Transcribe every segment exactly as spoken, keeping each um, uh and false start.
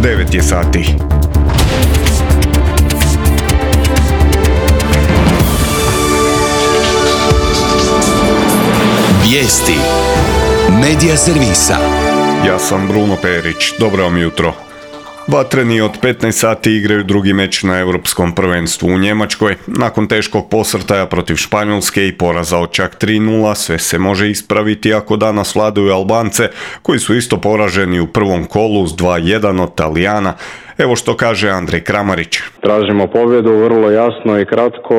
devet je sati. Vijesti Medija servisa. Ja sam Bruno Perić, dobro vam jutro. Vatreni od petnaest sati igraju drugi meč na Europskom prvenstvu u Njemačkoj. Nakon teškog posrtaja protiv Španjolske i poraza od čak tri nula, sve se može ispraviti ako danas vladaju Albance, koji su isto poraženi u prvom kolu s dva jedan od Talijana. Evo što kaže Andrej Kramarić. Tražimo pobjedu vrlo jasno i kratko,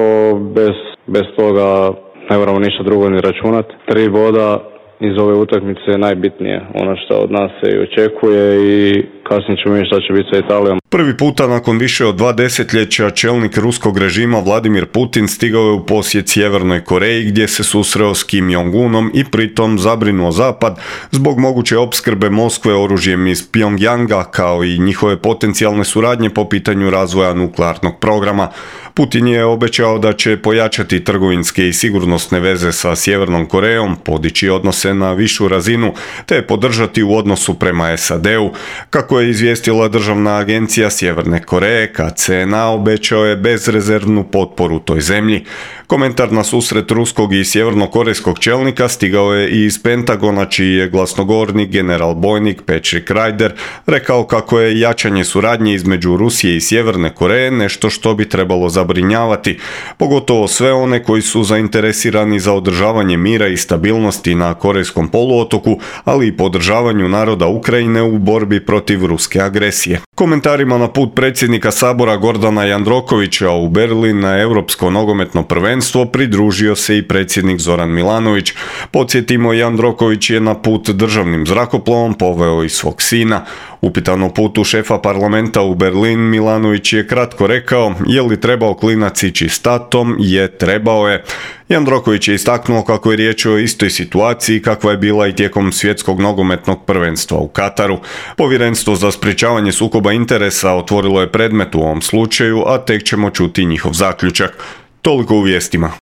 bez, bez toga ne moramo ništa drugo ni računati. Tri boda iz ove utakmice je najbitnije, ono što od nas se i očekuje i kasnije ćemo vidjeti šta će biti sa Italijom. Prvi puta nakon više od dva desetljeća čelnik ruskog režima Vladimir Putin stigao je u posjet Sjevernoj Koreji gdje se susreo s Kim Jong-unom i pritom zabrinuo Zapad zbog moguće opskrbe Moskve oružjem iz Pyongyanga kao i njihove potencijalne suradnje po pitanju razvoja nuklearnog programa. Putin je obećao da će pojačati trgovinske i sigurnosne veze sa Sjevernom Korejom, podići odnose na višu razinu te podržati u odnosu prema S A D-u. Kako je izvijestila državna agencija Sjeverne Koreje, K C N A obećao je bezrezervnu potporu toj zemlji. Komentar na susret ruskog i sjevernokorejskog čelnika stigao je i iz Pentagona, čiji je glasnogovornik general bojnik Patrick Ryder rekao kako je jačanje suradnje između Rusije i Sjeverne Koreje nešto što bi trebalo zabrinjavati, pogotovo sve one koji su zainteresirani za održavanje mira i stabilnosti na Korejskom poluotoku, ali i podržavanju naroda Ukrajine u borbi protiv ruske agresije. Komentarima na put predsjednika Sabora Gordana Jandrokovića u Berlin na Europsko nogometno prvenstvo pridružio se i predsjednik Zoran Milanović. Podsjetimo, Jandroković je na put državnim zrakoplovom poveo i svog sina. Upitan o putu šefa parlamenta u Berlin, Milanović je kratko rekao: je li trebao klinac ići s tatom? Je, trebao je. Jandroković je istaknuo kako je riječ o istoj situaciji kakva je bila i tijekom svjetskog nogometnog prvenstva u Kataru. Povjerenstvo za sprječavanje sukoba interesa otvorilo je predmet u ovom slučaju, a tek ćemo čuti njihov zaključak. Toliko u vijestima.